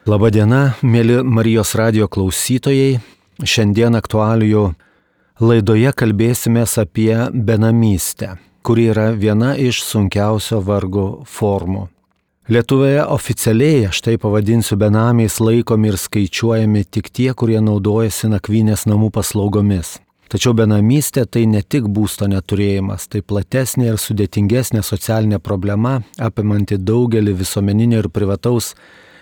Labadiena, mėly Marijos radijo klausytojai. Šiandien aktualijų laidoje kalbėsimės apie benamystę, kuri yra viena iš sunkiausio vargo formų. Lietuvoje oficialiai, aš tai pavadinsiu, benamiais laikomi ir skaičiuojami tik tie, kurie naudojasi nakvynės namų paslaugomis. Tačiau benamystė tai ne tik būsto neturėjimas, tai platesnė ir sudėtingesnė socialinė problema, apimanti daugelį visuomeninio ir privataus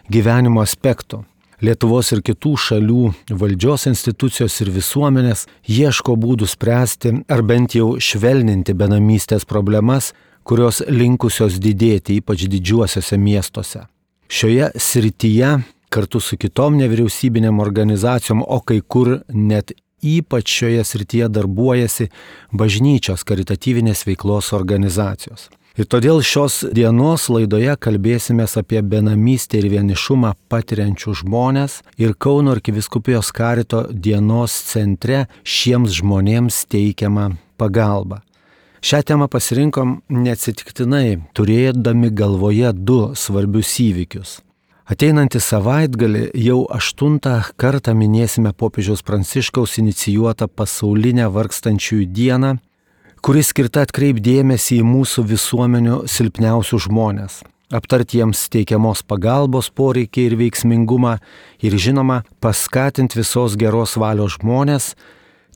gyvenimo aspektų. Lietuvos ir kitų šalių valdžios institucijos ir visuomenės ieško būdų spręsti ar bent jau švelninti benamystės problemas, kurios linkusios didėti, ypač didžiuosiuose miestuose. Šioje srityje kartu su kitom nevyriausybinėm organizacijom, o kai kur net ypač šioje srityje darbuojasi bažnyčios karitatyvinės veiklos organizacijos. Ir todėl šios dienos laidoje kalbėsimės apie benamystę ir vienišumą patiriančių žmonės ir Kauno arkivyskupijos karito dienos centre šiems žmonėms teikiamą pagalbą. Šią temą pasirinkom neatsitiktinai, turėdami galvoje du svarbius įvykius. Ateinantį savaitgalį jau 8 kartą minėsime popiežiaus Pranciškaus inicijuotą pasaulinę vargstančiųjų dieną, kuri skirta atkreipdėmėsi į mūsų visuomenių silpniausius žmonės, aptarti jiems teikiamos pagalbos poreikį ir veiksmingumą ir žinoma paskatinti visos geros valios žmonės,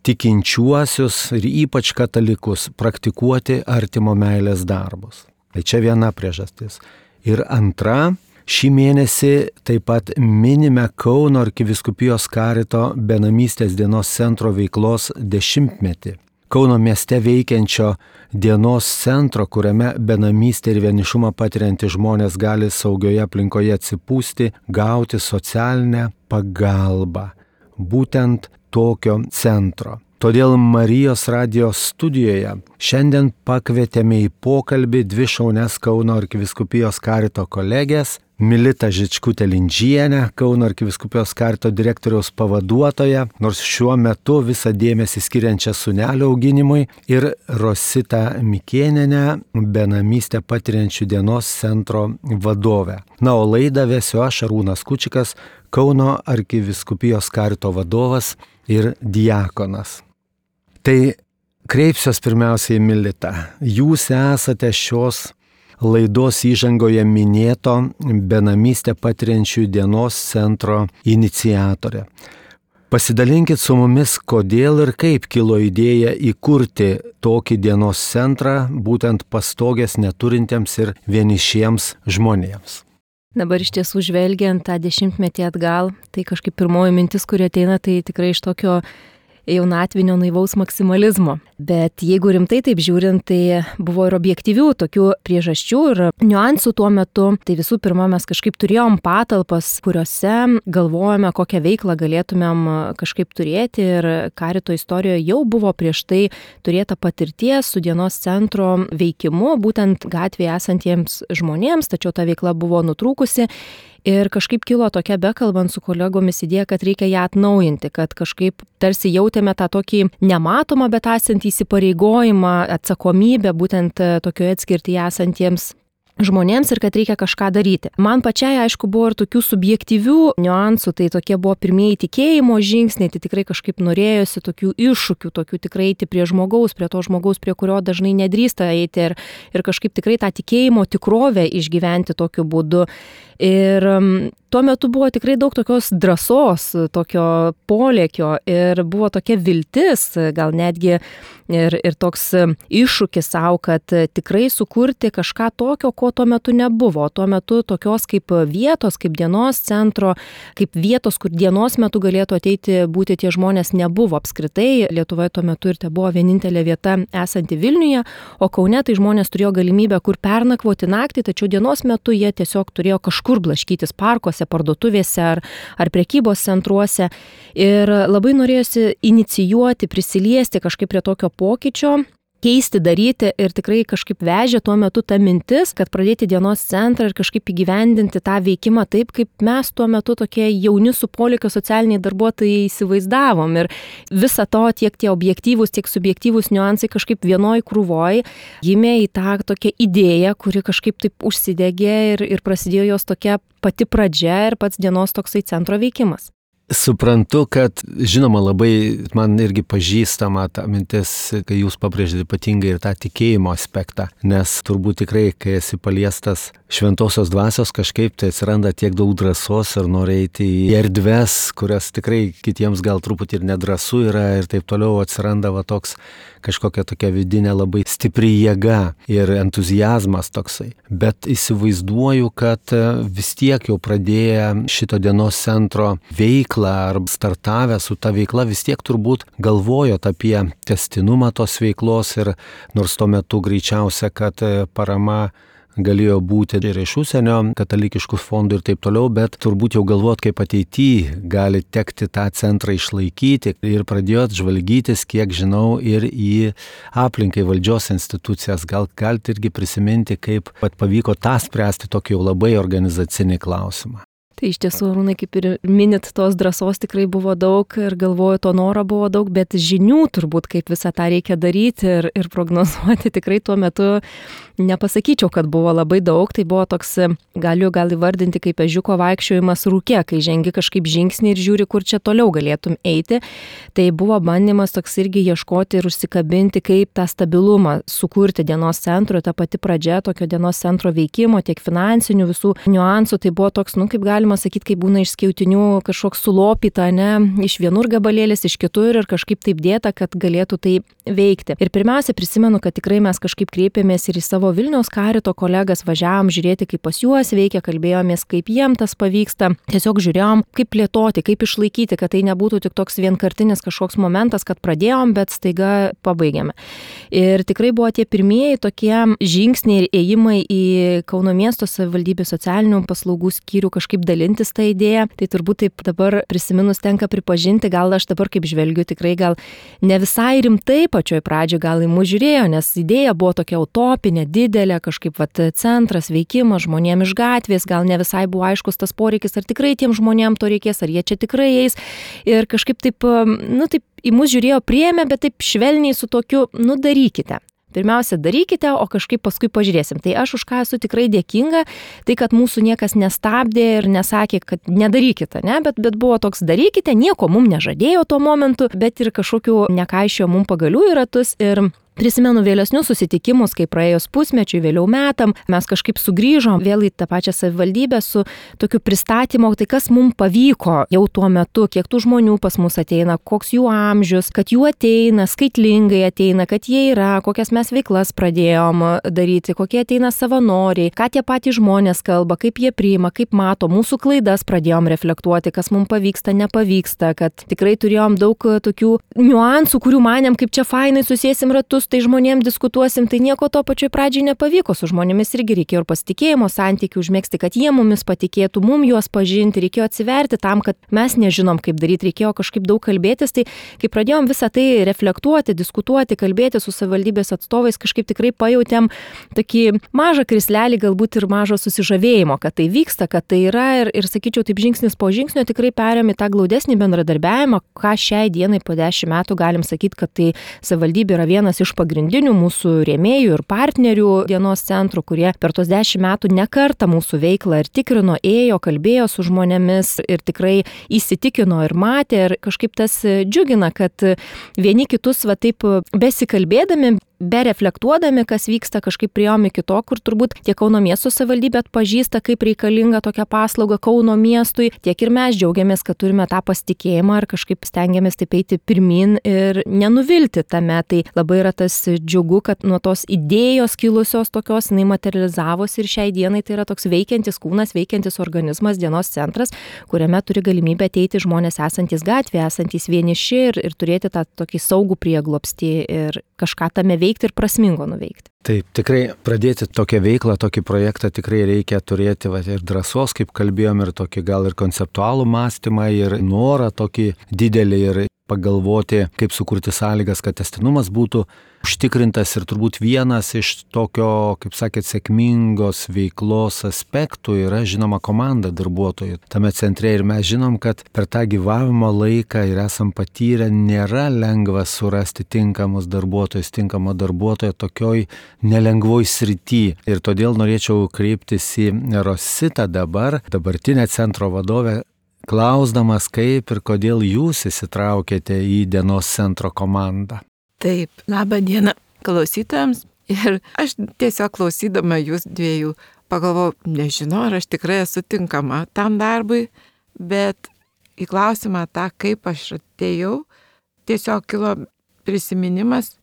tikinčiuosius ir ypač katalikus praktikuoti artimo meilės darbus. Tai čia viena priežastis. Ir antra, šį mėnesį taip pat minime Kauno arkivyskupijos karito benamystės dienos centro veiklos 10-metį. Kauno mieste veikiančio dienos centro, kuriame benamystę ir vienišumą patiriantys žmonės gali saugioje aplinkoje atsipūsti, gauti socialinę pagalbą. Būtent tokio centro. Todėl Marijos radijo studijoje šiandien pakvietėme į pokalbį 2 šaunias Kauno arkivyskupijos karito kolegės, Militą Žičkutę-Lindžienę, Kauno arkivyskupijos karito direktoriaus pavaduotoją, nors šiuo metu visą dėmesį skiriančią sūnelio auginimui, ir Rositą Mikėnienę, benamystę patiriančių dienos centro vadovę. Na, o laidą vesiu aš, Arūnas Kučikas, Kauno arkivyskupijos karito vadovas ir diakonas. Tai kreipsiuos pirmiausiai į Militą. Jūs esate šios laidos įžangoje minėto benamystę patiriančių dienos centro iniciatorė. Pasidalinkit su mumis, kodėl ir kaip kilo idėja įkurti tokį dienos centrą būtent pastogės neturintiems ir vienišiems žmonėms. Dabar iš tiesų žvelgiant tą 10-metį atgal, tai kažkaip pirmoji mintis, kuri ateina, tai tikrai iš tokio jaunatvinio naivaus maksimalizmo. Bet jeigu rimtai taip žiūrint, tai buvo ir objektyvių tokių priežasčių ir niuansų tuo metu. Tai visų pirma, mes kažkaip turėjom patalpas, kuriuose galvojame, kokią veiklą galėtumėm kažkaip turėti, ir karito istorijoje jau buvo prieš tai turėta patirties su dienos centro veikimu, būtent gatvėje esantiems žmonėms, tačiau ta veikla buvo nutrūkusi. Ir kažkaip kilo tokia, bekalbant su kolegomis, idėja, kad reikia ją atnaujinti, kad kažkaip tarsi jautėme tą tokį nematomą, bet esantį įsipareigojimą, atsakomybę būtent tokioje atskirtyje esantiems žmonėms ir kad reikia kažką daryti. Man pačiai, aišku, buvo ir tokių subjektyvių niuansų, tai tokie buvo pirmieji tikėjimo žingsniai, tai tikrai kažkaip norėjosi tokių iššūkių, tokių tikrai eiti prie žmogaus, prie kurio dažnai nedrįsta eiti ir kažkaip tikrai tą tikėjimo tikrovę išgyventi tokiu būdu. Ir tuo metu buvo tikrai daug tokios drąsos, tokio polėkio ir buvo tokia viltis, gal netgi ir toks iššūkis savo, kad tikrai sukurti kažką tokio, ko tuo metu nebuvo. Tuo metu tokios kaip vietos, kaip dienos centro, kaip vietos, kur dienos metu galėtų ateiti būti tie žmonės, nebuvo apskritai. Lietuvoje tuo metu ir tai buvo vienintelė vieta esanti Vilniuje, o Kaune tai žmonės turėjo galimybę kur pernakvoti naktį, tačiau dienos metu jie tiesiog turėjo kažkur blaškytis parkuose, parduotuvėse ar prekybos centruose. Ir labai norėjosi inicijuoti, prisiliesti kažkaip prie tokio pokyčio keisti, daryti ir tikrai kažkaip vežė tuo metu ta mintis, kad pradėti dienos centrą ir kažkaip įgyvendinti tą veikimą taip, kaip mes tuo metu tokie jauni su polėkio socialiniai darbuotojai įsivaizdavom. Ir visą to tiek tie objektyvūs, tiek subjektyvūs niuansai kažkaip vienoj krūvoj gimė į tą tokią idėją, kuri kažkaip taip užsidegė ir prasidėjo jos tokia pati pradžia ir pats dienos toksai centro veikimas. Suprantu, kad žinoma labai man irgi pažįstama ta mintis, kai jūs pabrėžėte ypatingai ir tą tikėjimo aspektą, nes turbūt tikrai, kai esi paliestas šventosios dvasios, kažkaip tai atsiranda tiek daug drąsos ir nori eiti į erdves, kurias tikrai kitiems gal truputį ir nedrąsu yra ir taip toliau atsiranda va toks kažkokia tokia vidinė labai stipri jėga ir entuzijazmas toksai. Bet įsivaizduoju, kad vis tiek jau pradėję šito dienos centro veiklą ar startavę su ta veikla vis tiek turbūt galvojot apie testinumą tos veiklos ir nors tuo metu greičiausia, kad parama galėjo būti ir iš užsienio katalikiškų fondų ir taip toliau, bet turbūt jau galvot, kaip ateityje gali tekti tą centrą išlaikyti ir pradėjot žvalgytis, kiek žinau, ir į aplinkai valdžios institucijas. Gal galite irgi prisiminti, kaip pavyko tą spręsti tokį jau labai organizacinį klausimą. Tai iš tiesų, Arūnai, kaip ir minit, tos drąsos tikrai buvo daug ir galvoju, to noro buvo daug, bet žinių turbūt, kaip visą tą reikia daryti ir prognozuoti tikrai tuo metu nepasakyčiau, kad buvo labai daug. Tai buvo toks, galiu gal įvardinti kaip ežiuko vaikščiojimas rūke, kai žengi kažkaip žingsnį ir žiūri, kur čia toliau galėtum eiti. Tai buvo bandymas toks irgi ieškoti ir užsikabinti, kaip tą stabilumą sukurti dienos centro, ta pati pradžia tokio dienos centro veikimo, tiek finansinių visų niuansų. Tai buvo toks, kaip galima sakyti, kaip būna iš skiautinių kažkoks sulopyta, iš vienur gabalėlis, iš kitur ir kažkaip taip dėta, kad galėtų tai veikti. Ir pirmiausia, prisimenu, kad tikrai mes kažkaip kreipėmės ir į savo Vilniaus karito kolegas, važiavom žiūrėti, kaip pas juos veikia, kalbėjomės, kaip jiem tas pavyksta. Tiesiog žiūrėjom, kaip plėtoti, kaip išlaikyti, kad tai nebūtų tik toks vienkartinis kažkoks momentas, kad pradėjom, bet staiga pabaigėme. Ir tikrai buvo tie pirmieji tokie žingsniai ir ėjimai į Kauno miesto savivaldybės socialinių paslaugų skyrių kažkaip dalintis tą idėją. Tai turbūt taip dabar prisiminus tenka pripažinti, gal aš dabar kaip žvelgiu tikrai gal ne visai rimtai pačioj pradžioje gal į mus žiūrėjo, nes idėja buvo tokia utopinė, didelė, kažkaip centras, veikimas žmonėm iš gatvės, gal ne visai buvo aiškus tas poreikis, ar tikrai tiem žmonėm to reikės, ar jie čia tikrai eis. Ir kažkaip taip, taip į mus žiūrėjo, priėmė, bet taip švelniai su tokiu, darykite. Pirmiausia, darykite, o kažkaip paskui pažiūrėsim. Tai aš už ką esu tikrai dėkinga, tai kad mūsų niekas nestabdė ir nesakė, kad nedarykite, bet buvo toks darykite, nieko mum nežadėjo tuo momentu, bet ir kažkokiu nekaišėjo mum pagalių į ratus. Ir prisimenu vėlesnius susitikimus, kai praėjus pusmečiui, vėliau metam, mes kažkaip sugrįžom vėl į tą pačią savivaldybę su tokiu pristatymu, tai kas mums pavyko jau tuo metu, kiek tų žmonių pas mus ateina, koks jų amžius, kad jų ateina, skaitlingai ateina, kad jie yra, kokias mes veiklas pradėjom daryti, kokie ateina savanoriai, ką tie patys žmonės kalba, kaip jie priima, kaip mato, mūsų klaidas pradėjom reflektuoti, kas mums pavyksta, nepavyksta, kad tikrai turėjom daug tokių niuansų, kurių manėm, kaip čia fainai susėsim ratus, tai žmonėm diskutuosim, tai nieko to pačioj pradžiai nepavyko, su žmonėmis irgi reikėjo ir pasitikėjimo santykių užmėgsti, kad jie mumis patikėtų, mum juos pažinti, reikėjo atsiverti tam, kad mes nežinom, kaip daryti, reikėjo kažkaip daug kalbėtis, tai kai pradėjom visą tai reflektuoti, diskutuoti, kalbėti su savivaldybės atstovais, kažkaip tikrai pajautėm tokį mažą krislelį, galbūt ir mažo susižavėjimo, kad tai vyksta, kad tai yra ir sakyčiau, taip žingsnis po žingsnio tikrai perėmė tą glaudesnį bendradarbiavimą, ką šiai dienai po 10 metų galim sakyti, kad tai savivaldybė yra vienas iš pagrindinių mūsų rėmėjų ir partnerių dienos centrų, kurie per tos 10 metų ne kartą mūsų veiklą ir tikrino, ėjo, kalbėjo su žmonėmis ir tikrai įsitikino ir matė ir kažkaip tas džiugina, kad vieni kitus taip besikalbėdami, bereflektuodami, kas vyksta, kažkaip priėjom iki to, kur turbūt tiek Kauno miesto savivaldybė atpažįsta, kaip reikalinga tokia paslauga Kauno miestui, tiek ir mes džiaugiamės, kad turime tą pasitikėjimą ir kažkaip stengiamės taip eiti pirmin ir nenuvilti tame. Tai labai yra tas džiugu, kad nuo tos idėjos kilusios tokios, jinai materializavosi ir šiai dienai tai yra toks veikiantis kūnas, veikiantis organizmas, dienos centras, kuriame turi galimybę ateiti žmonės esantys gatvėje, esantys vieniši ir turėti tą tokį saugų prieglobstį ir kažką tame veikti ir prasmingo nuveikti. Taip, tikrai pradėti tokią veiklą, tokį projektą tikrai reikia turėti ir drąsos, kaip kalbėjom, ir tokį gal ir konceptualų mąstymą, ir norą tokį didelį, ir pagalvoti, kaip sukurti sąlygas, kad tęstinumas būtų užtikrintas ir turbūt vienas iš tokio, kaip sakėt, sėkmingos veiklos aspektų yra žinoma komanda darbuotojų tame centre ir mes žinom, kad per tą gyvavimo laiką ir esam patyrę, nėra lengva surasti tinkamą darbuotoją tokioj nelengvoj srity. Ir todėl norėčiau kreiptis į Rositą dabartinę centro vadovę, klausdamas, kaip ir kodėl jūs įsitraukėte į dienos centro komandą. Taip, labą dieną klausytojams. Ir aš tiesiog klausydama jūs dviejų pagalvojau, nežinau, ar aš tikrai esu tinkama tam darbui, bet į klausimą tą, kaip aš atėjau, tiesiog kilo prisiminimas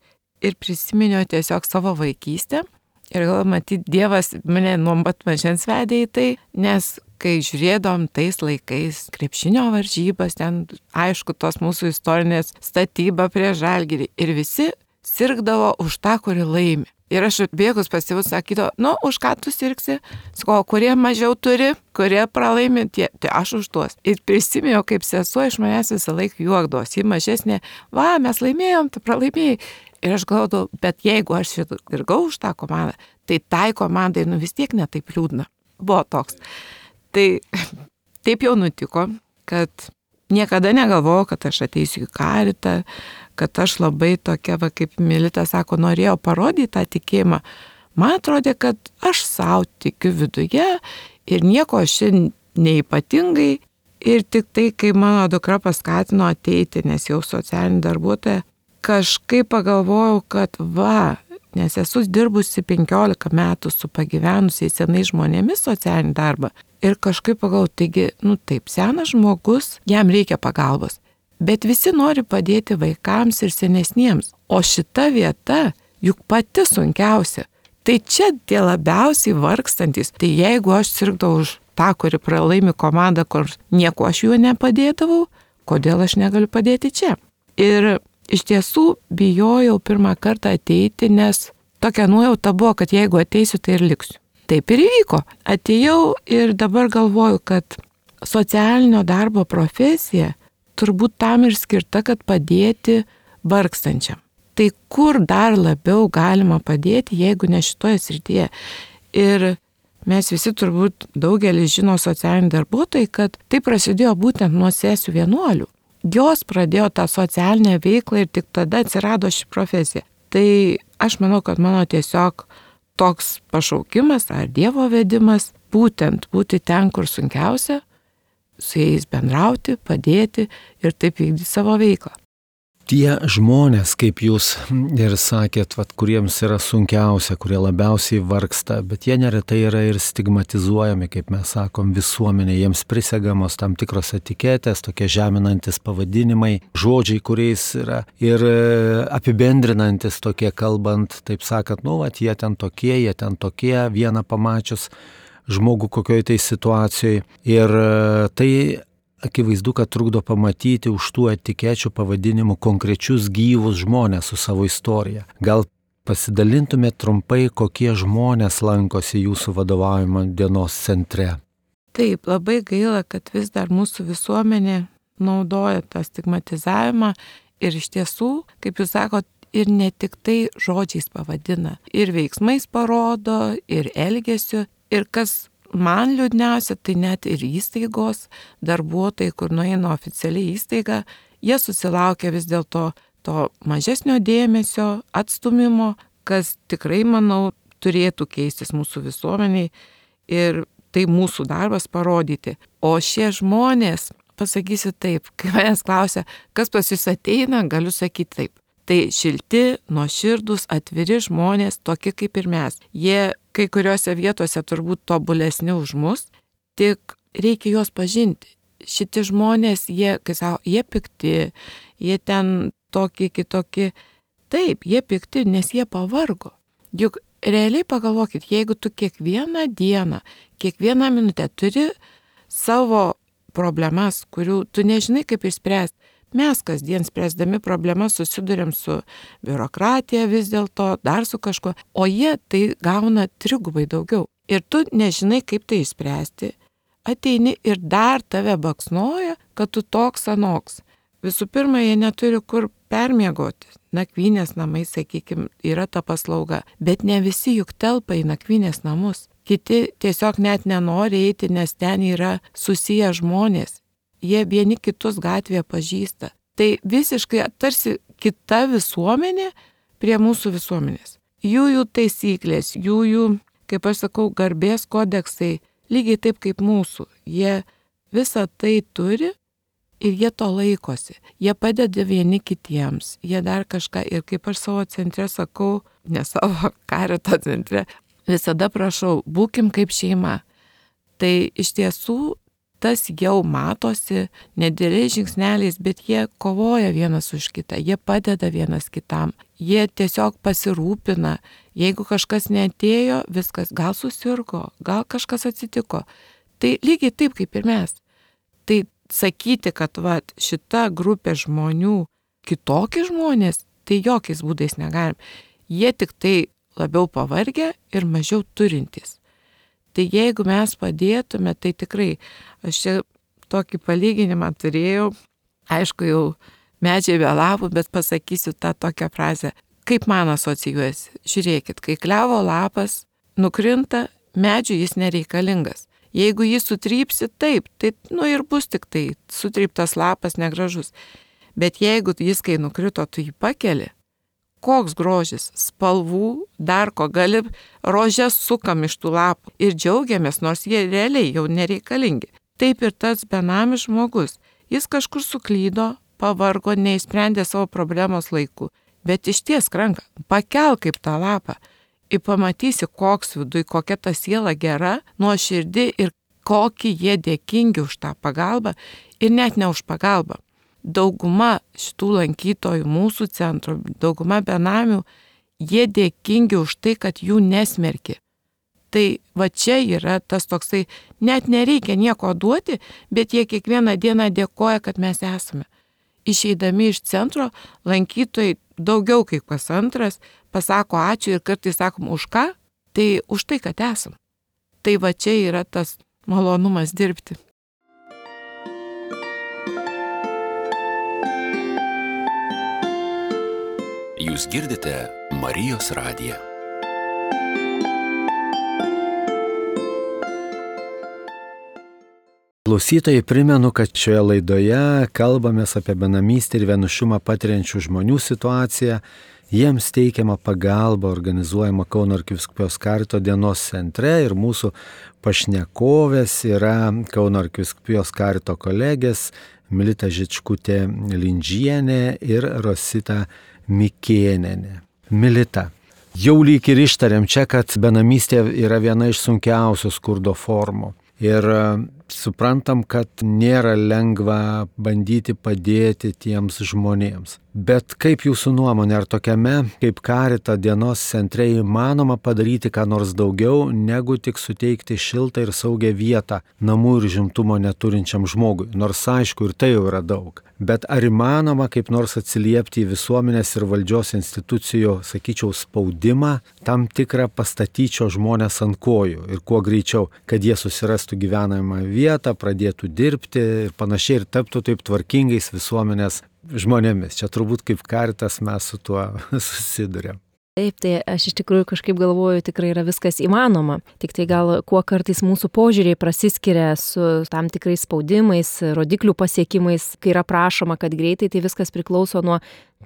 ir prisiminiau tiesiog savo vaikystę. Ir gal matyti, Dievas mane nuo pat mažens vedė į tai, nes kai žiūrėdom tais laikais krepšinio varžybas, ten aišku tos mūsų istorinės statyba prie Žalgirį ir visi sirgdavo už tą, kuri laimi. Ir aš atbėgus pas tėvus sakydavo, už ką tu sirgsi? Sakau, kurie mažiau turi, kurie pralaimi, tai aš už tuos. Ir prisimėjau, kaip sesuo iš manęs visą laiką juokdavos, ji mažesnė, mes laimėjom, tu pralaimėjai. Ir aš galvodavau, bet jeigu aš sirgau už tą komandą, tai tai komandai vis tiek netaip liūdna. Buvo toks. Tai taip jau nutiko, kad niekada negalvojau, kad aš ateisiu į Karitą, kad aš labai tokia, kaip Milita sako, norėjau parodyti tą tikėjimą. Man atrodė, kad aš savo tikiu viduje ir nieko aš neypatingai. Ir tik tai, kai mano dukra paskatino ateiti, nes jau socialinė darbuotoja, kažkaip pagalvojau, kad nes esu dirbusi 15 metų su pagyvenusiais senais žmonėmis socialinį darbą. Ir kažkaip pagalvojau, taigi, taip, senas žmogus, jam reikia pagalbos. Bet visi nori padėti vaikams ir senesniems. O šita vieta juk pati sunkiausia. Tai čia tie labiausiai vargstantis. Tai jeigu aš sirgdavau už tą, kuri pralaimi komandą, kur nieko aš juo nepadėdavau, kodėl aš negaliu padėti čia? Ir iš tiesų bijojau pirmą kartą ateiti, nes tokia nuojauta buvo, kad jeigu ateisiu, tai ir liksiu. Taip ir įvyko. Atėjau ir dabar galvoju, kad socialinio darbo profesija turbūt tam ir skirta, kad padėti vargstančiam. Tai kur dar labiau galima padėti, jeigu ne šitoje srityje? Ir mes visi turbūt daugelis žino socialinį darbuotojai, kad tai prasidėjo būtent nuo sesių vienuolių. Jos pradėjo tą socialinę veiklą ir tik tada atsirado ši profesija. Tai aš manau, kad mano tiesiog toks pašaukimas ar Dievo vedimas būtent būti ten, kur sunkiausia, su jais bendrauti, padėti ir taip vykdyti savo veiklą. Tie žmonės, kaip jūs ir sakėt, kuriems yra sunkiausia, kurie labiausiai vargsta, bet jie neretai yra ir stigmatizuojami, kaip mes sakom, visuomenė, jiems prisegamos tam tikros etiketės, tokie žeminantis pavadinimai, žodžiai, kuriais yra ir apibendrinantis tokie kalbant, taip sakant, jie ten tokie, vieną pamačius žmogų kokioj tai situacijoje. Ir tai akivaizdu, kad trukdo pamatyti už tų etikečių pavadinimų konkrečius gyvus žmonės su savo istorija. Gal pasidalintumėt trumpai, kokie žmonės lankosi jūsų vadovaujamo dienos centre? Taip, labai gaila, kad vis dar mūsų visuomenė naudoja tą stigmatizavimą ir iš tiesų, kaip jūs sakot, ir ne tik tai žodžiais pavadina, ir veiksmais parodo, ir elgesiu, ir kas man liūdniausia, tai net ir įstaigos darbuotojai, kur nueina oficialiai įstaiga, jie susilaukia vis dėlto to mažesnio dėmesio, atstumimo, kas tikrai, manau, turėtų keistis mūsų visuomeniai ir tai mūsų darbas parodyti. O šie žmonės, pasakysiu taip, kai manęs klausia, kas pas jūs ateina, galiu sakyti taip. Tai šilti, nuoširdūs, atviri žmonės, tokie kaip ir mes. Jie kai kuriuose vietose turbūt tobulesni už mus, tik reikia juos pažinti. Šitie žmonės, jie pikti, jie ten tokie kitokie. Taip, jie pikti, nes jie pavargo. Juk realiai pagalvokit, jeigu tu kiekvieną dieną, kiekvieną minutę turi savo problemas, kurių tu nežinai kaip išspręsti, mes kasdien spręsdami problemas susiduriam su biurokratija vis dėlto, dar su kažkuo, o jie tai gauna trigubai daugiau. Ir tu nežinai, kaip tai išspręsti. Ateini ir dar tave baksnoja, kad tu toks anoks. Visų pirma, jie neturi kur permiegoti. Nakvynės namai, sakykime, yra ta paslauga, bet ne visi juk telpa į nakvynės namus. Kiti tiesiog net nenori eiti, nes ten yra susiję žmonės. Jie vieni kitus gatvėje pažįsta. Tai visiškai tarsi kita visuomenė prie mūsų visuomenės. Jų taisyklės, jų, kaip aš sakau, garbės kodeksai, lygiai taip kaip mūsų. Jie visą tai turi ir jie to laikosi. Jie padeda vieni kitiems, jie dar kažką. Ir kaip aš savo centre sakau, ne savo karito centre, visada prašau, būkim kaip šeima. Tai iš tiesų tas jau matosi nedėliais žingsneliais, bet jie kovoja vienas už kitą, jie padeda vienas kitam, jie tiesiog pasirūpina, jeigu kažkas neatėjo, viskas, gal susirgo, gal kažkas atsitiko. Tai lygiai taip kaip ir mes. Tai sakyti, kad šita grupė žmonių kitokie žmonės, tai jokiais būdais negalim. Jie tik tai labiau pavargę ir mažiau turintys. Tai jeigu mes padėtume, tai tikrai, aš čia tokį palyginimą turėjau, aišku, jau medžiai vėlavo, bet pasakysiu tą tokią frazę. Kaip man asocijuojasi? Žiūrėkit, kai klevo lapas nukrinta, medžiui jis nereikalingas. Jeigu jį sutrypsi, taip, tai ir bus tik tai sutryptas lapas negražus. Bet jeigu jis, kai nukrito, tu jį pakeli, koks grožis, spalvų, dar ko gali, rožės sukam iš tų lapų ir džiaugiamės, nors jie realiai jau nereikalingi. Taip ir tas benamis žmogus. Jis kažkur suklydo, pavargo, neįsprendė savo problemos laiku, bet išties ranką, pakelk kaip tą lapą ir pamatysi, koks viduj, kokia ta siela gera, nuoširdi ir kokį jie dėkingi už tą pagalbą ir net ne už pagalbą. Dauguma šitų lankytojų mūsų centro, dauguma benamių, jie dėkingi už tai, kad jų nesmerki. Tai čia yra tas toksai, net nereikia nieko duoti, bet jie kiekvieną dieną dėkoja, kad mes esame. Išeidami iš centro, lankytojai daugiau kaip kas antras pasako ačiū ir kartais sakom už ką, tai už tai, kad esam. Tai čia yra tas malonumas dirbti. Jūs girdite Marijos radiją. Klausytojai, primenu, kad šioje laidoje kalbamės apie benamystę ir vienišumą patiriančių žmonių situaciją. Jiems teikiama pagalba organizuojama Kauno arkivyskupijos karito dienos centre ir mūsų pašnekovės yra Kauno arkivyskupijos karito kolegės Milita Žičkutė Lindžienė ir Rosita Mikėnienė. Milita, jau lyg ir ištarėm čia, kad benamystė yra viena iš sunkiausių skurdo formų. Ir suprantam, kad nėra lengva bandyti padėti tiems žmonėms. Bet kaip jūsų nuomonė, ar tokiame kaip karito dienos centre įmanoma padaryti ką nors daugiau, negu tik suteikti šiltą ir saugią vietą namų ir žimtumo neturinčiam žmogui? Nors aišku, ir tai jau yra daug. Bet ar įmanoma kaip nors atsiliepti į visuomenės ir valdžios institucijų, sakyčiau, spaudimą, tam tikrą pastatyčio žmonės ant kojų ir kuo greičiau, kad jie susirastų gyvenamą vietą, pradėtų dirbti ir panašiai ir taptų taip tvarkingais visuomenės žmonėmis? Čia turbūt kaip karitas mes su tuo susidurėm. Taip, tai aš iš tikrųjų kažkaip galvoju, tikrai yra viskas įmanoma. Tik tai gal kuo kartais mūsų požiūriai prasiskiria su tam tikrais spaudimais, rodiklių pasiekimais, kai yra prašoma, kad greitai, tai viskas priklauso nuo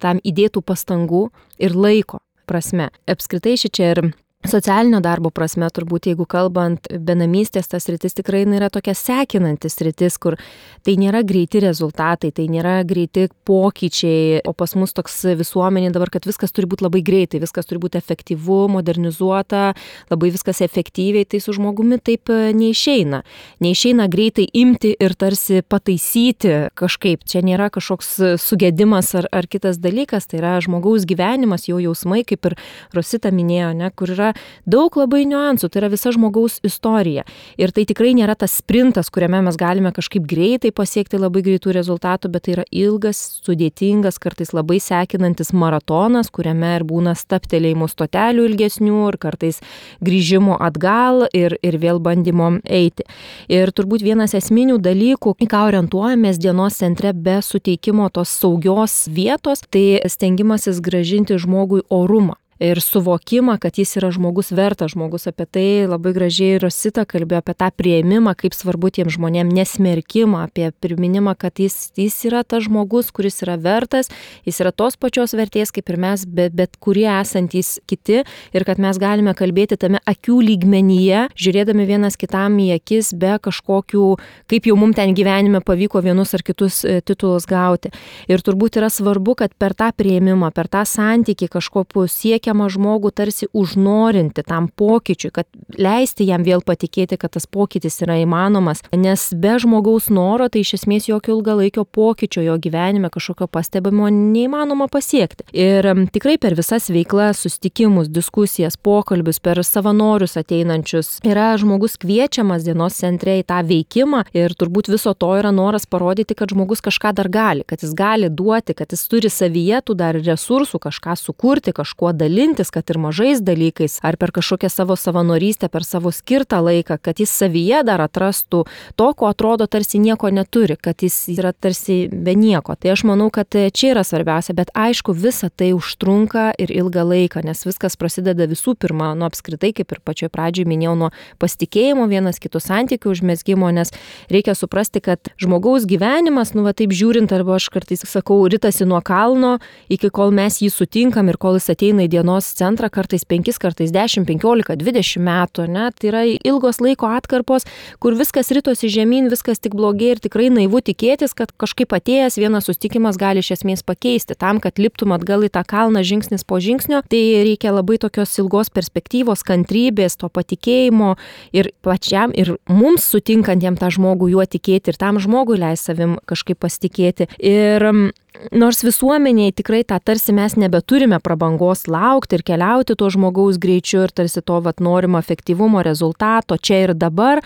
tam įdėtų pastangų ir laiko prasme. Apskritai šičia ir socialinio darbo prasme, turbūt jeigu kalbant, benamystės tas sritis tikrai yra tokia sekinantis sritis, kur tai nėra greiti rezultatai, tai nėra greiti pokyčiai, o pas mus toks visuomenė dabar, kad viskas turi būti labai greitai, viskas turi būti efektyvu, modernizuota, labai viskas efektyviai, tai su žmogumi taip neišeina. Neišeina greitai imti ir tarsi pataisyti kažkaip. Čia nėra kažkoks sugedimas ar kitas dalykas, tai yra žmogaus gyvenimas, jo jausmai, kaip ir Rosita minėjo, kur yra daug labai niuansų, tai yra visa žmogaus istorija. Ir tai tikrai nėra tas sprintas, kuriame mes galime kažkaip greitai pasiekti labai greitų rezultatų, bet tai yra ilgas, sudėtingas, kartais labai sekinantis maratonas, kuriame ir būna stabtelėjimų stotelių ilgesnių ir kartais grįžimo atgal ir vėl bandymo eiti. Ir turbūt vienas esminių dalykų, į ką orientuojamės dienos centre be suteikimo tos saugios vietos, tai stengimasis grąžinti žmogui orumą ir suvokimą, kad jis yra žmogus vertas žmogus. Apie tai labai gražiai Rosita kalbėjo, apie tą priėmimą, kaip svarbu tiem žmonėm, nesmerkimą, apie priminimą, kad jis yra tas žmogus, kuris yra vertas, jis yra tos pačios vertės kaip ir mes, bet kurie esantys kiti, ir kad mes galime kalbėti tame akių lygmenyje, žiūrėdami vienas kitam į akis, be kažkokių, kaip jau mums ten gyvenime pavyko vienus ar kitus titulus gauti. Ir turbūt yra svarbu, kad per tą priėmimą, per tą santykį kažkokiu siekia žmogų tarsi užnorinti tam pokyčiui, kad leisti jam vėl patikėti, kad tas pokytis yra įmanomas, nes be žmogaus noro tai iš esmės jokio ilgalaikio pokyčio jo gyvenime kažkokio pastebimo neįmanoma pasiekti. Ir tikrai per visas veiklas, susitikimus, diskusijas, pokalbius, per savanorius ateinančius yra žmogus kviečiamas dienos centre į tą veikimą ir turbūt viso to yra noras parodyti, kad žmogus kažką dar gali, kad jis gali duoti, kad jis turi savyje tų dar resursų kažką sukurti, kažkuo dalintis, kad ir mažais dalykais, ar per kažkokią savo savanorystę, per savo skirtą laiką, kad jis savyje dar atrastų to, ko atrodo tarsi nieko neturi, kad jis yra tarsi be nieko. Tai aš manau, kad čia yra svarbiausia, bet aišku, visa tai užtrunka ir ilgą laiką, nes viskas prasideda visų pirma, nuo apskritai, kaip ir pačioj pradžioj minėjau, nuo pasitikėjimo vienas kitų santykių užmezgimo, nes reikia suprasti, kad žmogaus gyvenimas, taip žiūrint, arba aš kartais sakau, ritasi nuo kalno, iki kol mes jį sutinkam ir kol jis ateina į dienos centrą, kartais 5, kartais 10, 15, 20 metų, ne? Tai yra ilgos laiko atkarpos, kur viskas ritosi žemyn, viskas tik blogėja ir tikrai naivu tikėtis, kad kažkaip atėjęs vienas susitikimas gali iš esmės pakeisti. Tam, kad liptum atgal į tą kalną žingsnis po žingsnio, tai reikia labai tokios ilgos perspektyvos, kantrybės, to patikėjimo ir pačiam, ir mums sutinkantiem tą žmogų juo tikėti ir tam žmogui leis savim kažkaip pasitikėti. Ir nors visuomeniai tikrai tą tarsi mes nebeturime prabangos laukti ir keliauti to žmogaus greičiu ir tarsi to norimo efektyvumo rezultato čia ir dabar,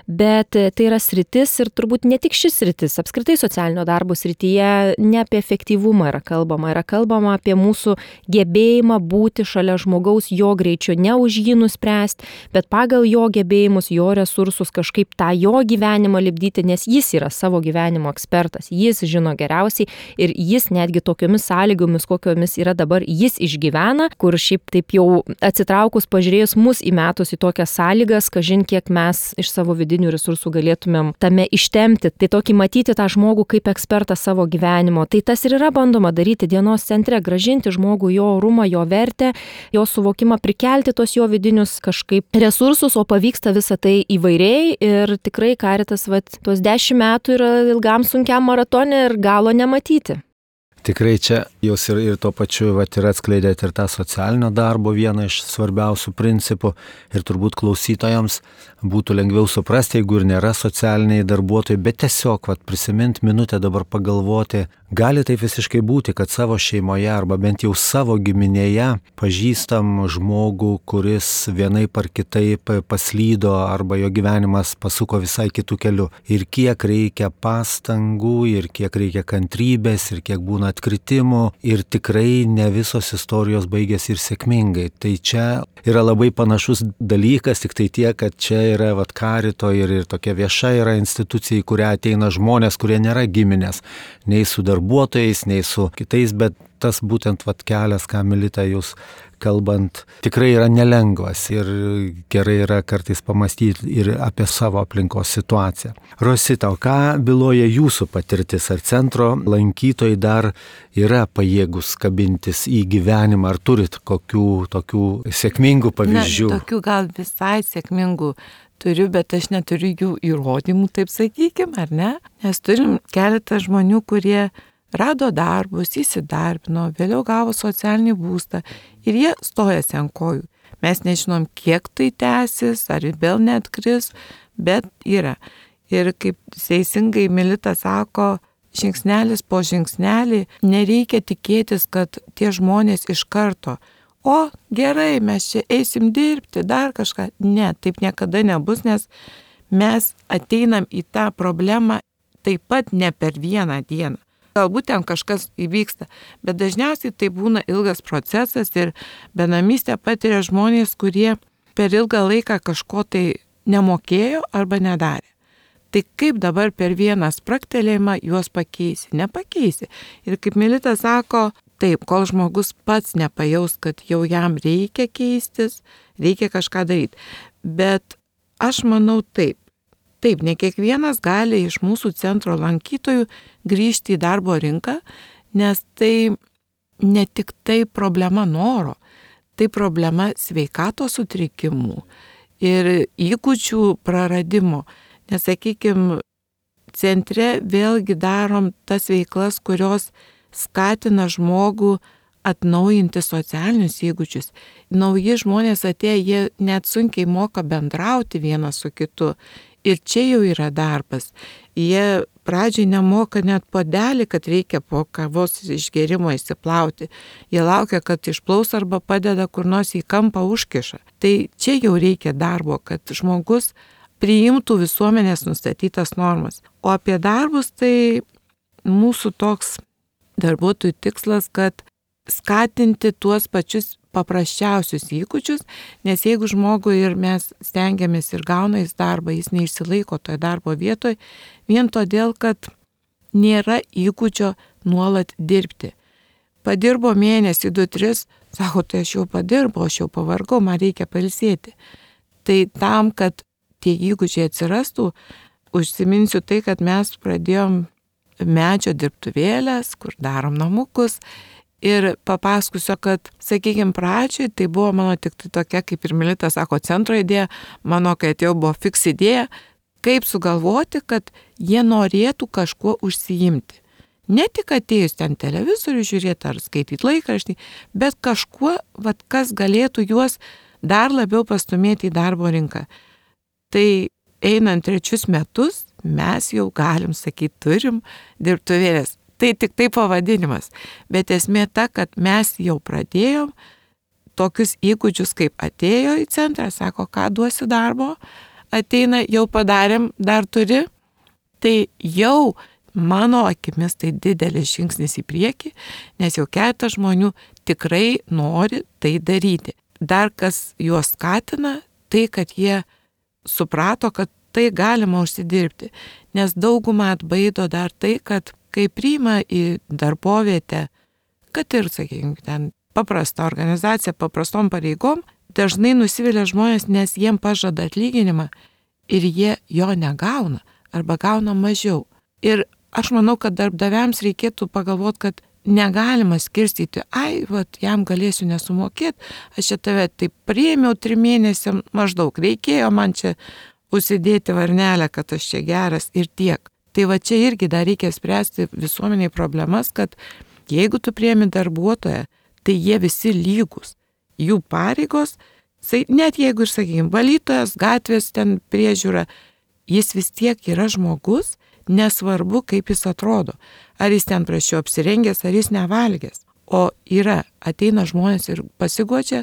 bet tai yra sritis ir turbūt ne tik šis sritis, apskritai socialinio darbo srityje ne apie efektyvumą yra kalbama apie mūsų gebėjimą būti šalia žmogaus jo greičiu, ne už jį nuspręsti, bet pagal jo gebėjimus, jo resursus kažkaip tą jo gyvenimą lipdyti, nes jis yra savo gyvenimo ekspertas, jis žino geriausiai ir jis netgi tokiomis sąlygomis, kokiomis yra dabar, jis išgyvena, kur šiaip taip jau atsitraukus pažiūrėjus mus įmetus į tokias sąlygas, kažin kiek mes iš savo vidinių resursų galėtumėm tame ištemti. Tai tokį matyti tą žmogų kaip ekspertą savo gyvenimo. Tai tas ir yra bandoma daryti dienos centre, grąžinti žmogų jo orumą, jo vertę, jo suvokimą, prikelti tos jo vidinius kažkaip resursus, o pavyksta visą tai įvairiai ir tikrai Caritas tuos 10 metų yra ilgam sunkiam maratone ir galo nematyti. Tikrai čia jūs ir tuo pačiu ir atskleidėte ir tą socialinio darbo vieną iš svarbiausių principų ir turbūt klausytojams būtų lengviau suprasti, jeigu ir nėra socialiniai darbuotojai, bet tiesiog prisiminti minutę dabar pagalvoti, gali taip visiškai būti, kad savo šeimoje arba bent jau savo giminėje pažįstam žmogų, kuris vienaip ar kitaip paslydo arba jo gyvenimas pasuko visai kitų kelių. Ir kiek reikia pastangų, ir kiek reikia kantrybės, ir kiek būna atkritimų, ir tikrai ne visos istorijos baigėsi ir sėkmingai. Tai čia yra labai panašus dalykas, tik tai tiek, kad čia yra Carito ir tokia vieša yra institucija, į kurią ateina žmonės, kurie nėra giminės, nei su darbuotojais, nei su kitais, bet tas būtent kelias, ką Milita jūs kalbant, tikrai yra nelengvas ir gerai yra kartais pamastyti ir apie savo aplinkos situaciją. Rosita, o ką byloja jūsų patirtis? Ar centro lankytojai dar yra pajėgus kabintis į gyvenimą? Ar turit kokių tokių sėkmingų pavyzdžių? Tokių gal visai sėkmingų turiu, bet aš neturiu jų įrodymų, taip sakykime, ar ne? Nes turim keletą žmonių, kurie rado darbus, įsidarbino, vėliau gavo socialinį būstą ir jie stojasi ant kojų. Mes nežinom, kiek tai tęsis, ar vėl neatkris, bet yra. Ir kaip teisingai Milita sako, žingsnelis po žingsnelį nereikia tikėtis, kad tie žmonės iš karto o gerai, mes čia eisim dirbti, dar kažką. Ne, taip niekada nebus, nes mes ateinam į tą problemą taip pat ne per vieną dieną. Galbūt ten kažkas įvyksta, bet dažniausiai tai būna ilgas procesas ir benamystę patiria žmonės, kurie per ilgą laiką kažko tai nemokėjo arba nedarė. Tai kaip dabar per vieną spragtelėjimą juos pakeisi? Nepakeisi. Ir kaip Milita sako, taip, kol žmogus pats nepajaus, kad jau jam reikia keistis, reikia kažką daryti. Bet aš manau taip. Taip, ne kiekvienas gali iš mūsų centro lankytojų grįžti į darbo rinką, nes tai ne tik tai problema noro, tai problema sveikatos sutrikimų ir įgūdžių praradimo. Nes, sakykime, centre vėlgi darom tas veiklas, kurios skatina žmogų atnaujinti socialinius įgūdžius. Nauji žmonės atėję, jie net sunkiai moka bendrauti vienas su kitu. Ir čia jau yra darbas. Jie pradžiai nemoka net puodelį, kad reikia po kavos išgerimo įsiplauti. Jie laukia, kad išplaus arba padeda kur nors į kampą užkiša. Tai čia jau reikia darbo, kad žmogus priimtų visuomenės nustatytas normas. O apie darbus tai mūsų toks darbuotojų tikslas, kad skatinti tuos pačius paprasčiausius įgūdžius, nes jeigu žmogui ir mes stengiamės ir gauna jis darbą, jis neišsilaiko toje darbo vietoje, vien todėl, kad nėra įgūdžio nuolat dirbti. Padirbo mėnesį, 2-3, sako, tai aš jau padirbau, aš jau pavargau, man reikia pailsėti. Tai tam, kad tie įgūdžiai atsirastų, užsiminsiu tai, kad mes pradėjom medžio dirbtuvėlės, kur darom namukus. Ir papasakosiu, kad, sakykime, pradžioj tai buvo mano tik tai tokia, kaip ir Milita sako, centro idėja, mano, kai atėjau, buvo fiks idėja, kaip sugalvoti, kad jie norėtų kažkuo užsiimti. Ne tik atėjus ten televizorių žiūrėti ar skaityti laikraštį, bet kažkuo, kas galėtų juos dar labiau pastumėti į darbo rinką. Tai einant 3 metus, mes jau galim sakyti, turim dirbtuvėlės. Tai tik tai pavadinimas, bet esmė ta, kad mes jau pradėjom tokius įgūdžius, kaip atėjo į centrą, sako, ką duosi darbo, ateina, jau padarėm, dar turi, tai jau mano akimis tai didelis žingsnis į priekį, nes jau keletą žmonių tikrai nori tai daryti. Dar kas juos skatina, tai kad jie suprato, kad tai galima užsidirbti, nes daugumą atbaido dar tai, kad kai priima į darbovietę, kad ir, sakykime, ten paprasta organizacija, paprastom pareigom, dažnai nusivilia žmonės, nes jiem pažada atlyginimą ir jie jo negauna arba gauna mažiau. Ir aš manau, kad darbdaviams reikėtų pagalvoti, kad negalima skirstyti, jam galėsiu nesumokėti, aš čia tave taip priėmiau 3 mėnesiam maždaug, reikėjo man čia užsidėti varnelę, kad aš čia geras ir tiek. Tai va čia irgi dar reikia spręsti visuomeniai problemas, kad jeigu tu priemi darbuotoją, tai jie visi lygus. Jų pareigos, net jeigu ir, sakykime, valytojas, gatvės ten priežiūra, jis vis tiek yra žmogus, nesvarbu, kaip jis atrodo. Ar jis ten prašiau apsirengęs, ar jis nevalgęs. O ateina žmonės ir pasiguodžia,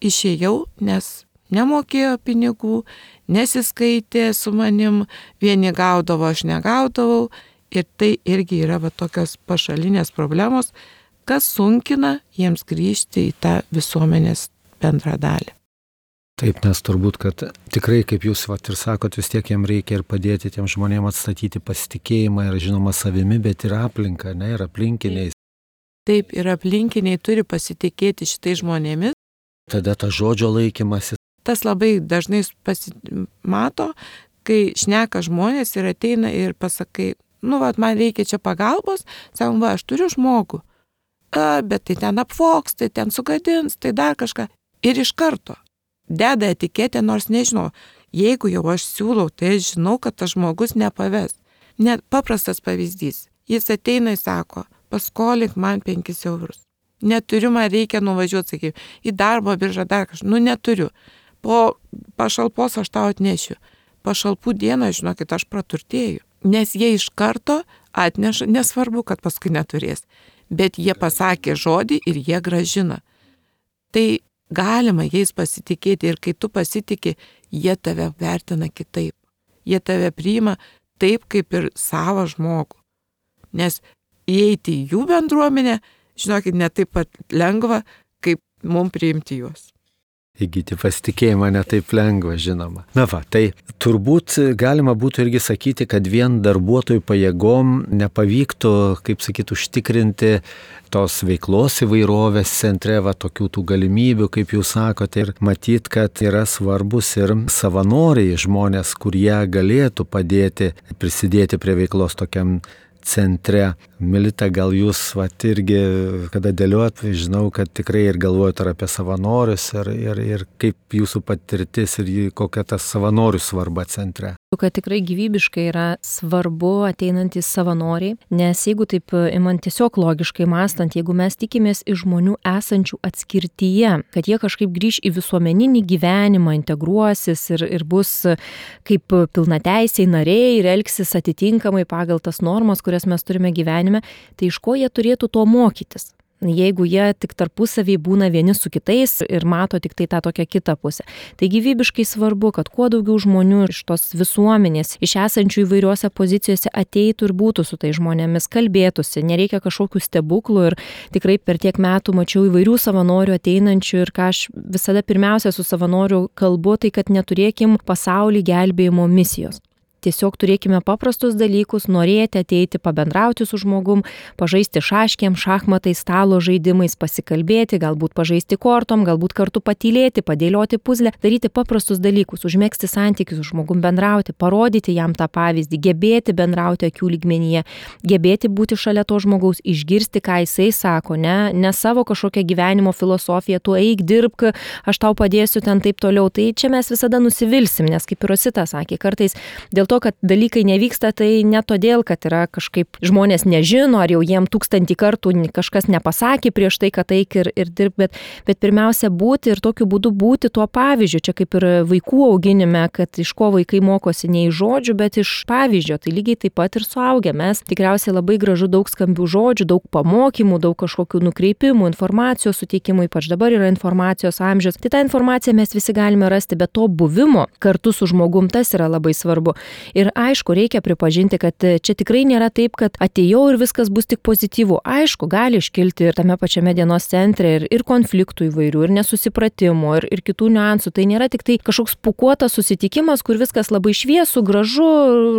išėjau, nes nemokėjo pinigų, nesiskaitė su manim, vieni gaudavo, aš negaudavau. Ir tai irgi yra tokios pašalinės problemos, kas sunkina jiems grįžti į tą visuomenės bendrą dalį. Taip, nes turbūt, kad tikrai, kaip jūs ir sakot, vis tiek jiems reikia ir padėti tiem žmonėms atstatyti pasitikėjimą ir žinoma savimi, bet ir aplinką, ir aplinkiniais. Taip, ir aplinkiniai turi pasitikėti šitai žmonėmis. Tada ta žodžio laikymasis. Tas labai dažnai pasimato, kai šneka žmonės ir ateina ir pasakai, man reikia čia pagalbos, sakom, aš turiu žmogų, bet tai ten apvoks, tai ten sugadins, tai dar kažką. Ir iš karto deda etiketę, nors nežinau, jeigu jau aš siūlau, tai aš žinau, kad tas žmogus nepaves. Net paprastas pavyzdys. Jis ateina ir sako, paskolink man 5 eurus. Neturiu, man reikia nuvažiuoti, sakykime, į darbo biržą dar kažką. Neturiu. Po pašalpos aš tau atnešiu. Pašalpų dieną, žinokit, aš praturtėju. Nes jie iš karto atneša, nesvarbu, kad paskui neturės. Bet jie pasakė žodį ir jie grąžina. tai galima jais pasitikėti ir kai tu pasitikė, jie tave vertina kitaip. Jie tave priima taip, kaip ir savą žmogų. Nes įeiti į jų bendruomenę, žinokit, ne taip pat lengva, kaip mums priimti juos. Įgyti pasitikėjimą netaip lengva, žinoma. Na va, tai turbūt galima būtų irgi sakyti, kad vien darbuotojų pajėgom nepavyktų, kaip sakyt, užtikrinti tos veiklos įvairovės centre, va, tokių tų galimybių, kaip jūs sakote, ir matyt, kad yra svarbus ir savanoriai žmonės, kurie galėtų padėti, prisidėti prie veiklos tokiam centre. Milita, gal jūs irgi, kada dėliot, žinau, kad tikrai ir galvojate apie savanorius ir kaip jūsų patirtis ir kokia ta savanorių svarba centre. Kad tikrai gyvybiškai yra svarbu ateinantys savanoriai, nes jeigu taip imant tiesiog logiškai mąstant, jeigu mes tikimės iš žmonių esančių atskirtyje, kad jie kažkaip grįž į visuomeninį gyvenimą, integruosis ir bus kaip pilnateisiai nariai ir elgsis atitinkamai pagal tas normas, kurias mes turime gyvenime, tai iš ko jie turėtų to mokytis? Jeigu jie tik tarpusavį būna vieni su kitais ir mato tik tai tą tokią kitą pusę. Tai gyvybiškai svarbu, kad kuo daugiau žmonių iš tos visuomenės, iš esančių įvairiuose pozicijose ateitų ir būtų su tai žmonėmis, kalbėtųsi. Nereikia kažkokių stebuklų ir tikrai per tiek metų mačiau įvairių savanorių ateinančių ir ką aš visada pirmiausia su savanoriu kalbu, tai kad neturėkim pasaulį gelbėjimo misijos. Tiesiog turėkime paprastus dalykus, norėti ateiti, pabendrauti su žmogum, pažaisti šaškėm, šachmatais, stalo žaidimais, pasikalbėti, galbūt pažaisti kortom, galbūt kartu patylėti, padėlioti puzlę, daryti paprastus dalykus, užmegzti santykius su žmogum, bendrauti, parodyti jam tą pavyzdį, gebėti bendrauti akių lygmenyje, gebėti būti šalia to žmogaus, išgirsti, ką jisai sako, ne savo kažkokią gyvenimo filosofiją, tu eik, dirbk, aš tau padėsiu ten taip toliau. Tai čia mes visada nusivilsim, nes kaip ir Rosita sakė, kartais dėl to, kad dalykai nevyksta, tai ne todėl, kad yra kažkaip žmonės nežino, ar jau jiem 1000 kartų kažkas nepasakė prieš tai, kad eik ir dirb, bet pirmiausia būti ir tokiu būdu būti tuo pavyzdžiu. Čia kaip ir vaikų auginime, kad iš ko vaikai mokosi ne iš žodžių, bet iš pavyzdžio. Tai lygiai taip pat ir suaugę. Mes tikriausiai labai gražu daug skambių žodžių, daug pamokymų, daug kažkokių nukreipimų, informacijos suteikimų, ypač dabar yra informacijos amžius. Tai tą informaciją mes visi galime rasti, bet to buvimo kartu su žmogum tas yra labai svarbu. Ir aišku, reikia pripažinti, kad čia tikrai nėra taip, kad atėjau ir viskas bus tik pozityvu. Aišku, gali iškilti ir tame pačiame dienos centre ir konfliktų įvairių, ir nesusipratimų, ir kitų niuansų. Tai nėra tik tai kažkoks pukuotas susitikimas, kur viskas labai šviesu, gražu,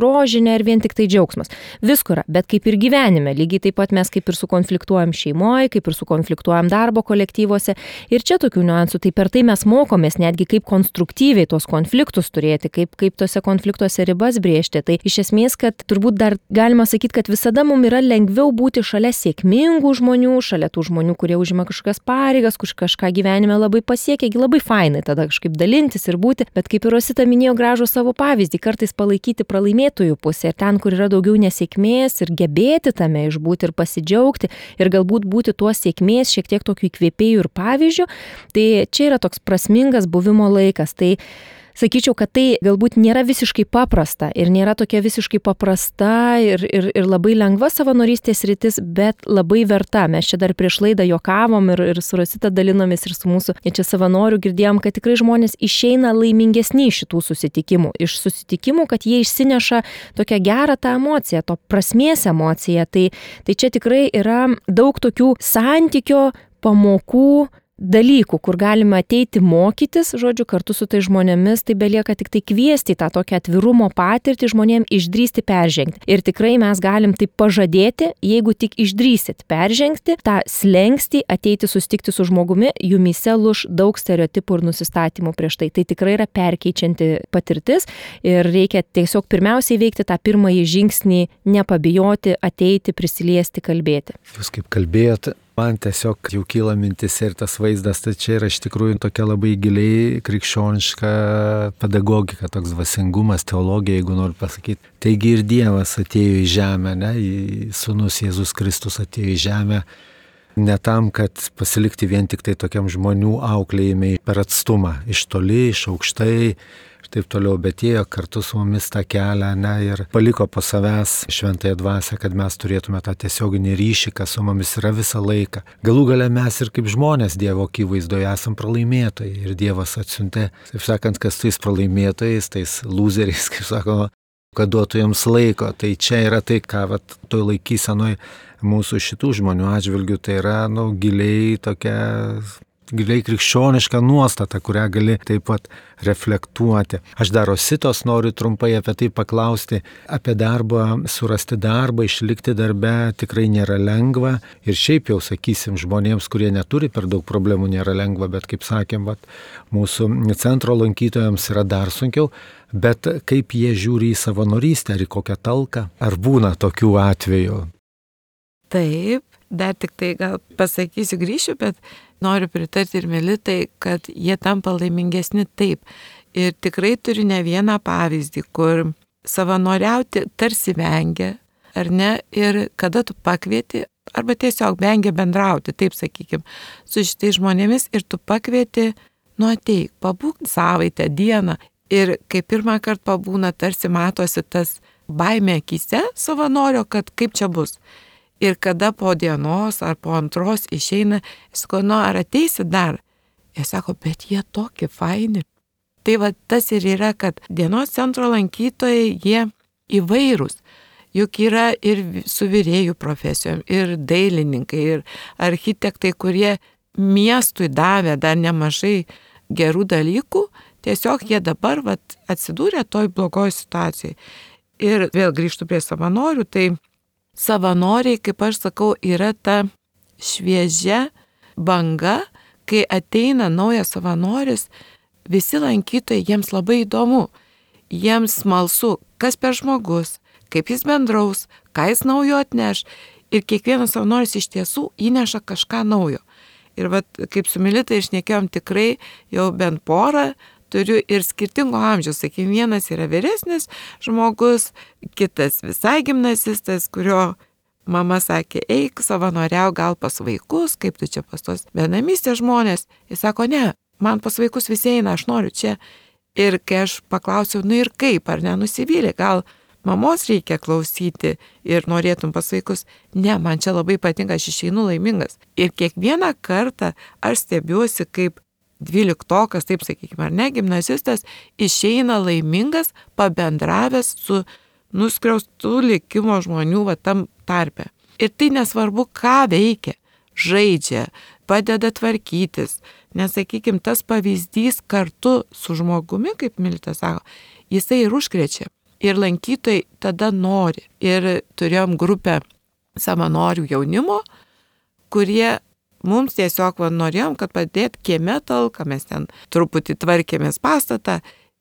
rožinė ir vien tik tai džiaugsmas. Visko yra, bet kaip ir gyvenime. Lygiai taip pat mes kaip ir sukonfliktuojam šeimoje, kaip ir sukonfliktuojam darbo kolektyvuose. Ir čia tokių niuansų. Tai per tai mes mokomės netgi kaip konstruktyviai tos konfliktus turėti, kaip tose konfliktuose ribas brėžti. Tai iš esmės, kad turbūt dar galima sakyti, kad visada mums yra lengviau būti šalia sėkmingų žmonių, šalia tų žmonių, kurie užima kažkokias pareigas, kažką gyvenime labai pasiekia, labai fainai tada kažkaip dalintis ir būti, bet kaip ir Rosita minėjo gražų savo pavyzdį, kartais palaikyti pralaimėtojų pusę ir ten, kur yra daugiau nesėkmės ir gebėti tame išbūti ir pasidžiaugti ir galbūt būti tuo sėkmės šiek tiek tokių įkvėpėjų ir pavyzdžių, tai čia yra toks prasmingas buvimo laikas. Tai sakyčiau, kad tai galbūt nėra visiškai paprasta ir nėra tokia visiškai paprasta ir labai lengva savanorystės rytis, bet labai verta. Mes čia dar prieš laidą juokavom ir su Rosita dalinomės ir su mūsų čia savanorių girdėjom, kad tikrai žmonės išeina laimingesni iš šitų susitikimų. Iš susitikimų, kad jie išsineša tokią gerą tą emociją, to prasmės emociją. Tai čia tikrai yra daug tokių santykio, pamokų, dalykų, kur galime ateiti mokytis, žodžiu, kartu su tai žmonėmis, tai belieka tik tai kviesti tą tokią atvirumo patirtį žmonėm išdrįsti peržengti. Ir tikrai mes galim tai pažadėti, jeigu tik išdrįsit peržengti tą slenkstį, ateiti susitikti su žmogumi, jumyse luš daug stereotipų ir nusistatymų prieš tai. Tai tikrai yra perkeičianti patirtis ir reikia tiesiog pirmiausiai veikti tą pirmąjį žingsnį, nepabijoti, ateiti, prisiliesti, kalbėti. Jūs kaip kalbėjot, man tiesiog jau kyla mintis ir tas vaizdas, tai čia yra iš tikrųjų tokia labai giliai krikščioniška pedagogika, toks dvasingumas, teologija, jeigu noriu pasakyti. Taigi ir Dievas atėjo į žemę, Sūnus Jėzus Kristus atėjo į žemę ne tam, kad pasilikti vien tik tai tokiam žmonių auklėjimai per atstumą, iš toli, iš aukštai, ir taip toliau, bet ėjo kartu su mumis tą kelią, ne, ir paliko po savęs šventąją dvasią, kad mes turėtume tą tiesioginį ryšį, kas su mumis yra visą laiką. Galų gale mes ir kaip žmonės Dievo akivaizdoje esam pralaimėtojai ir Dievas atsiuntė, taip sakant, kas tais pralaimėtojais, tais lūzeriais, kaip sakoma, kad duotų jiems laiko. Tai čia yra tai, ką toj laikysenoj mūsų šitų žmonių atžvilgių, tai yra giliai krikščioniška nuostata, kurią gali taip pat reflektuoti. Aš dar Rositos noriu trumpai apie tai paklausti. Apie darbą, surasti darbą, išlikti darbe tikrai nėra lengva. Ir šiaip jau, sakysim, žmonėms, kurie neturi per daug problemų, nėra lengva, bet kaip sakėm, mūsų centro lankytojams yra dar sunkiau. Bet kaip jie žiūri į savanorystę, ar į kokią talką, ar būna tokių atvejų? Taip, dar tik tai gal pasakysiu, grįšiu, bet noriu pritarti ir Militai, kad jie tampa laimingesni taip. Ir tikrai turiu ne vieną pavyzdį, kur savanoriauti tarsi vengia, ar ne, ir kada tu pakvieti, arba tiesiog vengia bendrauti, taip sakykim, su šitais žmonėmis ir tu pakvieti, ateik, pabūk savaitę, dieną. Ir kai pirmą kartą pabūna, tarsi matosi tas baimė akyse savanorio, kad kaip čia bus. Ir kada po dienos ar po antros išeina, jis sako, ar ateisi dar? Jis sako, bet jie tokie faini. Tai tas ir yra, kad dienos centro lankytojai, jie įvairūs. Juk yra ir su virėjų profesijom, ir dailininkai, ir architektai, kurie miestui davė dar nemažai gerų dalykų, tiesiog jie dabar atsidūrė toj blogoj situacijai. Ir vėl grįžtu prie savanorių, tai savanoriai, kaip aš sakau, yra ta šviežia banga, kai ateina naujas savanoris, visi lankytojai, jiems labai įdomu, jiems smalsu, kas per žmogus, kaip jis bendraus, ką jis naujo atneš, ir kiekvienas savanoris iš tiesų įneša kažką naujo. Ir kaip su Milita išnekėjom, tikrai jau bent porą turiu ir skirtingo amžiaus. Sakykim, vienas yra vyresnis žmogus, kitas visai gimnazistas, kurio mama sakė, eik savanoriau gal pas vaikus, kaip tu čia pas tos benamystės žmonės. Jis sako, ne, man pas vaikus visi eina, aš noriu čia. Ir kai aš paklausiau, ir kaip, ar nenusivylė, gal mamos reikia klausyti ir norėtum pas vaikus. Ne, man čia labai patinka, aš išeinu laimingas. Ir kiekvieną kartą aš stebiuosi, kaip 12-okas, taip sakykime, ar ne, gimnazistas, išeina laimingas, pabendravęs su nuskriaustų likimo žmonių tam tarpe. Ir tai nesvarbu, ką veikia, žaidžia, padeda tvarkytis. Nes, sakykime, tas pavyzdys kartu su žmogumi, kaip Milita sako, jisai ir užkrečia. Ir lankytojai tada nori. Ir turėjom grupę savanorių jaunimo, kurie mums tiesiog norėjom, kad padėt kieme talką, mes ten truputį tvarkėmės pastatą,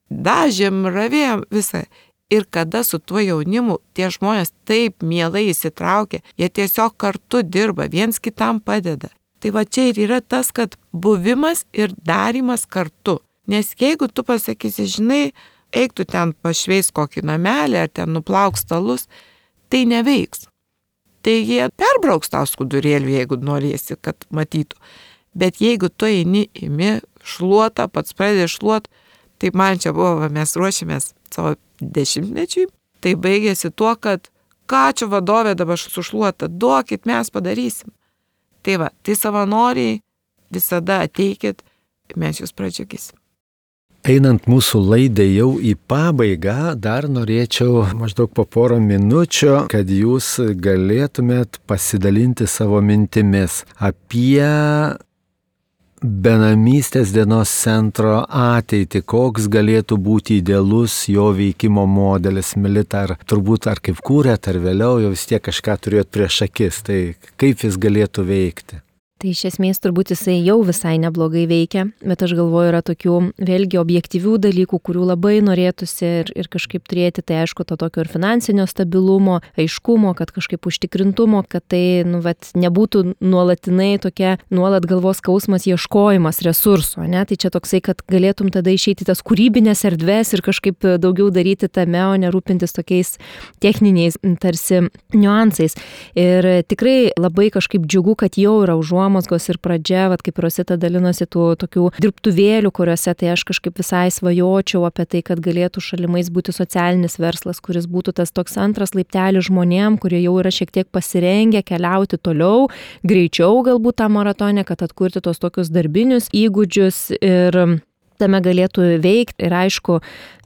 dažėm, ravėjom visą. Ir kada su tuo jaunimu tie žmonės taip mielai įsitraukia, jie tiesiog kartu dirba, viens kitam padeda. Tai čia ir yra tas, kad buvimas ir darymas kartu. Nes jeigu tu pasakysi, žinai, eik tu ten pašveis kokį namelį ar ten nuplauk stalus, tai neveiks. Tai jie perbrauks tą skudurėlį, jeigu norėsi, kad matytų. Bet jeigu tu eini, imi šluotą, pats pradedi šluot, tai man čia buvo, mes ruošėmės savo 10-mečiui, tai baigėsi tuo, kad ką čia vadovė dabar sušluota, duokit, mes padarysim. Tai savanoriai visada ateikit, mes jūs pradžiugysim. Einant mūsų laidai jau į pabaigą, dar norėčiau maždaug po porą minučių, kad jūs galėtumėt pasidalinti savo mintimis apie benamystės dienos centro ateitį, koks galėtų būti idealus jo veikimo modelis. Milita, ar kaip kūrėt, ar vėliau jau vis tiek kažką turėjot prieš akis, tai kaip jis galėtų veikti? Tai iš esmės turbūt jisai jau visai neblogai veikia, bet aš galvoju, yra tokių vėlgi objektyvių dalykų, kurių labai norėtųsi ir kažkaip turėti, tai aišku, to tokio ir finansinio stabilumo, aiškumo, kad kažkaip užtikrintumo, kad tai nebūtų nuolatinai tokia nuolat galvos skausmas ieškojimas resursų, ne? Tai čia toksai, kad galėtum tada išeiti tas kūrybinės erdvės ir kažkaip daugiau daryti tame, o nerūpintis tokiais techniniais tarsi niuansais. Ir tikrai labai kažkaip džiugu, kad jau yra užuomazgų užuomazgos ir pradžia, vat, kaip Rosita dalinosi tų tokių dirbtuvėlių, kuriuose tai aš kažkaip visai svajočiau apie tai, kad galėtų šalimais būti socialinis verslas, kuris būtų tas toks antras laiptelis žmonėm, kurie jau yra šiek tiek pasirengę keliauti toliau, greičiau galbūt tą maratonę, kad atkurti tos tokius darbinius įgūdžius ir tame galėtų veikti ir aišku,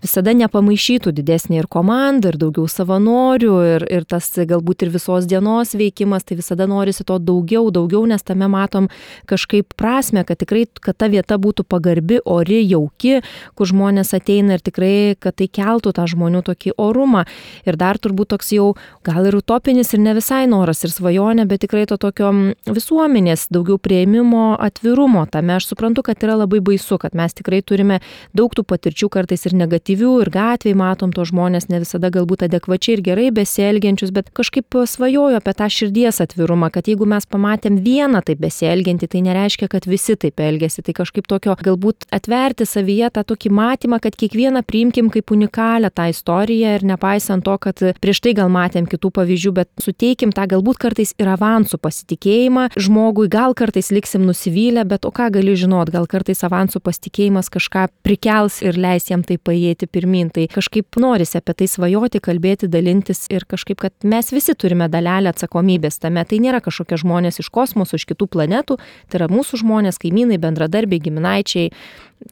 visada nepamaišytų didesnė ir komanda, ir daugiau savanorių, ir tas galbūt ir visos dienos veikimas, tai visada norisi to daugiau, nes tame matom kažkaip prasme, kad tikrai, kad ta vieta būtų pagarbi, ori, jauki, kur žmonės ateina ir tikrai, kad tai keltų tą žmonių tokį orumą. Ir dar turbūt toks jau gal ir utopinis ir ne visai noras ir svajonė, bet tikrai to tokio visuomenės daugiau priėmimo, atvirumo. Tame aš suprantu, kad yra labai baisu, kad mes tikrai turime daug tų patirčių kartais ir negatyvių, ir gatvėje matom to žmonės ne visada galbūt adekvačiai ir gerai besielgiančius, bet kažkaip svajoju apie tą širdies atvirumą, kad jeigu mes pamatėm vieną taip besielgiantį, tai nereiškia, kad visi taip elgiasi, tai kažkaip tokio galbūt atverti savyje tą tokį matymą, kad kiekvieną priimkim kaip unikalią tą istoriją ir nepaisant to, kad prieš tai gal matėm kitų pavyzdžių, bet suteikim tą galbūt kartais ir avansų pasitikėjimą žmogui, gal kartais liksim nusivylę, bet o ką gali žinot, gal kartais avansų pasitikėjimas kažką prikels ir leis jam tai paėjėti pirmin. Tai kažkaip norisi apie tai svajoti, kalbėti, dalintis ir kažkaip, kad mes visi turime dalelę atsakomybės tame. Tai nėra kažkokie žmonės iš kosmoso, iš kitų planetų, tai yra mūsų žmonės, kaimynai, bendradarbiai, giminaičiai.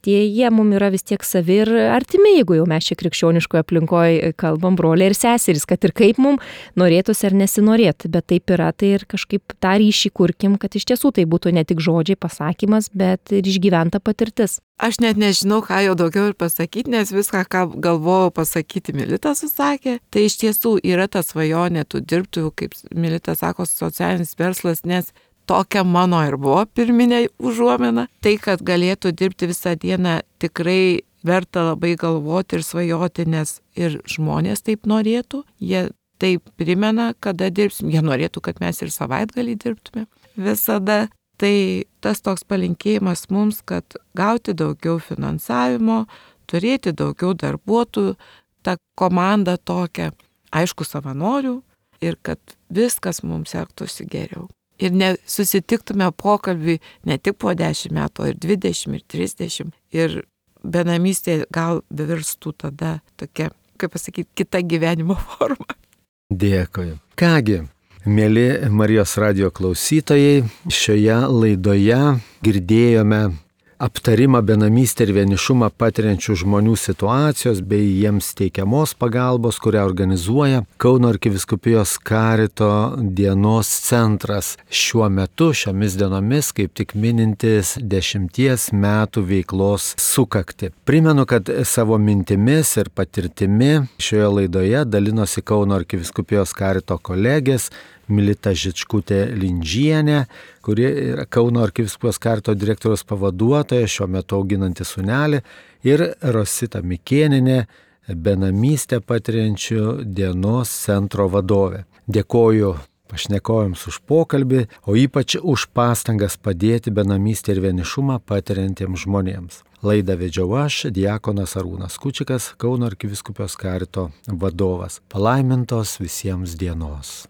Jie mums yra vis tiek savi ir artimi, jeigu jau mes čia krikščioniškoje aplinkoje kalbam, broliai ir seserys, kad ir kaip mums norėtųsi ar nesinorėtų, bet taip yra, tai ir kažkaip tą ryšį kurkim, kad iš tiesų tai būtų ne tik žodžiai pasakymas, bet ir išgyventa patirtis. Aš net nežinau, ką jau daugiau ir pasakyti, nes viską, ką galvojau pasakyti, Milita susakė. Tai iš tiesų yra ta svajonė tų dirbtuvių, kaip Milita sako, socialinis verslas, nes tokia mano ir buvo pirminė užuomina. Tai, kad galėtų dirbti visą dieną, tikrai verta labai galvoti ir svajoti, nes ir žmonės taip norėtų. Jie taip primena, kada dirbsim. Jie norėtų, kad mes ir savaitgalį dirbtume visada. Tai tas toks palinkėjimas mums, kad gauti daugiau finansavimo, turėti daugiau darbuotojų, tą komandą tokią, aišku, savanorių ir kad viskas mums sektųsi geriau. Ir susitiktume pokalbį ne tik po 10 metų, ir 20, ir 30. Ir benamystė gal virstų tada tokia, kaip pasakyti, kita gyvenimo forma. Dėkui. Kągi, mėly Marijos radijo klausytojai, šioje laidoje girdėjome aptarimą benamystę ir vienišumą patiriančių žmonių situacijos bei jiems teikiamos pagalbos, kurią organizuoja Kauno arkivyskupijos Karito dienos centras. Šiuo metu, šiomis dienomis, kaip tik minintis 10 metų veiklos sukaktį. Primenu, kad savo mintimis ir patirtimi šioje laidoje dalinosi Kauno arkivyskupijos Karito kolegės Milita Žičkutė-Lindžienė, kuri yra Kauno arkivyskupijos Karito direktoriaus pavaduotoja, šiuo metu auginanti sūnelį, ir Rosita Mikėnienė, benamystę patiriančių dienos centro vadovė. Dėkoju pašnekovėms už pokalbį, o ypač už pastangas padėti benamystę ir vienišumą patiriantiems žmonėms. Laidą vedžiau aš, diakonas Arūnas Kučikas, Kauno arkivyskupijos Karito vadovas. Palaimintos visiems dienos.